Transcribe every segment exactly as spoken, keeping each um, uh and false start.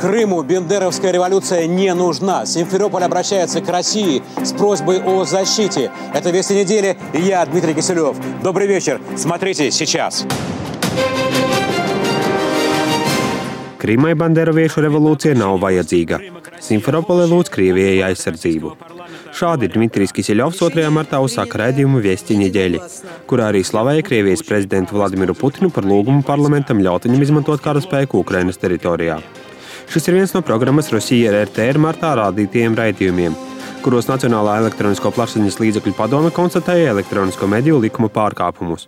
Крыму бендеровская революция не нужна. Симферополь обращается к России с просьбой о защите. Это «Вести недели» и я, Дмитрий Киселев. Добрый вечер. Смотрите сейчас. Krimai banderoviešu revolūcija nav vajadzīga. Simferopole lūdz Krievijai aizsardzību. Šādi Dmitrijs Kiseļovs otrajā martā uzsāka raidījumu Vesti nedeļi, kurā arī slavēja Krievijas prezidentu Vladimiru Putinu par lūgumu parlamentam ļaut viņam izmantot kara spēku Ukrainas teritorijā. Šis ir viens no programmas Rosija R T R martā rādītajiem raidījumiem, kuros Nacionālā elektronisko plašsaziņas līdzekļu padome konstatēja elektronisko mediju likuma pārkāpumus,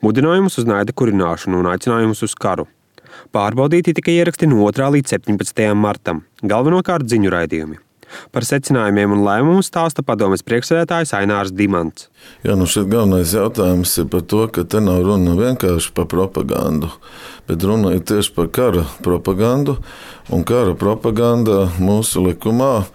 mudinājumus uz naida kurināšanu un aicinājumus uz karu. Pārbaudīti tika ieraksti no otrā līdz septiņpadsmitajam martam, galvenokārt ziņu raidījumi. Par secinājumiem un lēmumu stāsta padomes priekšsēdētājs Ainārs Dimants. Jā, nu šeit galvenais jautājums ir par to, ka te nav runa vienkārši par propagandu, bet runa ir tieši par kara propagandu, un kara propaganda mūsu likumā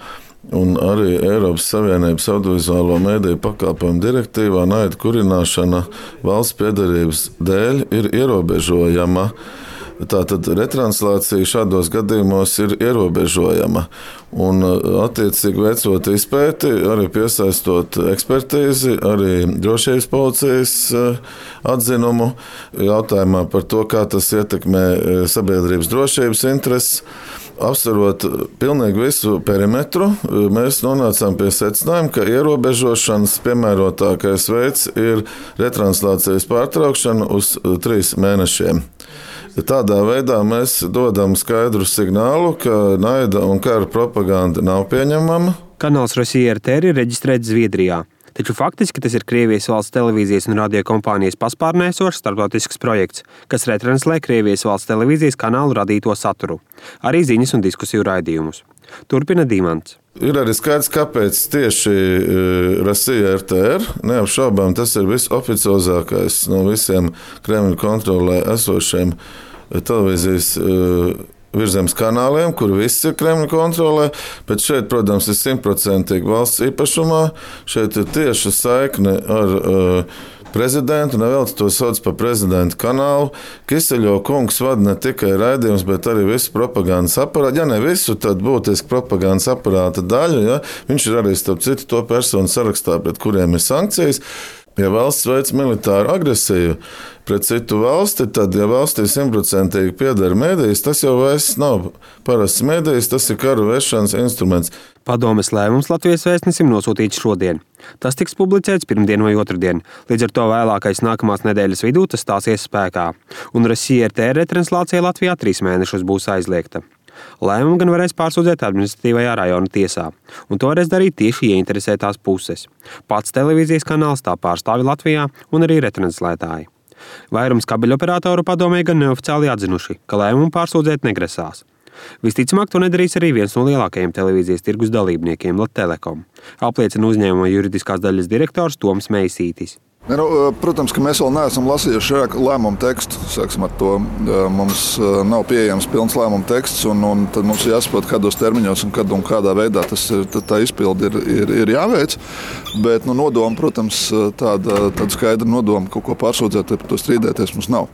un arī Eiropas Savienības audiovizuālo mediju pakalpojumu direktīvā naida kurināšana valsts piederības dēļ ir ierobežojama. Tātad retranslācija šādos gadījumos ir ierobežojama. Un, attiecīgi veicot izpēti, arī piesaistot ekspertīzi, arī drošības policijas atzinumu jautājumā par to, kā tas ietekmē sabiedrības drošības intereses. Apsverot pilnīgi visu perimetru, mēs nonācām pie secinājuma, ka ierobežošanas piemērotākais veids ir retranslācijas pārtraukšana uz trīs mēnešiem. Tādā veidā mēs dodam skaidru signālu, ka naida un kara propaganda nav pieņemama. Kanāls Rosija R T R ir reģistrēts Zviedrijā, taču faktiski tas ir Krievijas valsts televīzijas un radiokompānijas paspārnē esošs starptautisks projekts, kas retranslē Krievijas valsts televīzijas kanālu radīto saturu, arī ziņas un diskusiju raidījumus. Turpina Dimants. Ir arī skaidrs, kāpēc tieši Rosija R T R, neapšaubām, tas ir visoficiozākais no visiem Kremļa kontrolē esošiem televīzijas virzemes kanāliem, kur viss ir Kremļa kontrolē, bet šeit, protams, ir simtprocentīgi valsts īpašumā. Šeit ir tieša saikne ar uh, prezidentu, nevēlas to sauc par prezidenta kanālu. Kiseļova kungs vada ne tikai raidījums, bet arī visu propagandas aparātu. Ja ne visu, tad būtiski propagandas aparāta daļu. Ja? Viņš ir arī, starp citu, to personu sarakstā, pret kuriem ir sankcijas. Ja valsts veic militāru agresiju pret citu valsti, tad, ja valstī simtprocentīgi pieder mēdījis, tas jau vairs nav parasts mēdījis, tas ir kara vešanas instruments. Padomes lēmums Latvijas vēstnesim nosūtīts šodien. Tas tiks publicēts pirmdien vai otrdien, līdz ar to vēlākais nākamās nedēļas vidū tas stāsies spēkā, un Rosija R T R retranslācija Latvijā trīs mēnešus būs aizliegta. Lēmumu gan varēs pārsūdzēt administratīvajā rajona tiesā, un to varēs darīt tieši ieinteresētās puses. Pats televīzijas kanāls, tā pārstāvi Latvijā un arī retranslētāji. Vairums kabeļoperatoru padomē gan neoficiāli atzinuši, ka lēmumu pārsūdzēt negrasās. Visticamāk, to nedarīs arī viens no lielākajiem televīzijas tirgus dalībniekiem, Latelekom, apliecina uzņēmuma juridiskās daļas direktors Toms Meisītis. Nu, protams, ka mēs vēl neesam lasījuši lēmumu tekstu. Sāksim ar to. Mums nav pieejams pilns lēmumu teksts, un, un tad mums jāsaprot, kādos termiņos un, kad un kādā veidā tas ir, tā izpildi ir, ir, ir jāveic. Bet nu, nodoma, protams, tāda, tāda skaidra nodoma, kaut ko pārsūdzēt, par to strīdēties mums nav.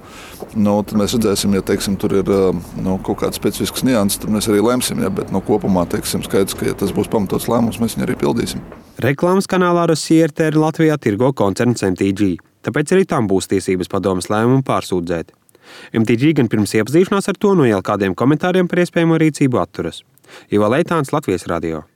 Nu, tad mēs redzēsim, ja teiksim, tur ir nu, kaut kāds specifisks nianses, tad mēs arī lemsim. Ja, bet nu, kopumā teiksim, skaidrs, ka ja tas būs pamatots lēmums, mēs viņu arī pildīsim. Reklāmas kanālā Rosija R T R Latvijā tirgo koncerns M T G, tāpēc arī tam būs tiesības padomes lēmumu pārsūdzēt. M T G gan pirms iepazīšanās ar to no jau kādiem komentāriem par iespējamo rīcību atturas. Ivo Leitāns, Latvijas radio.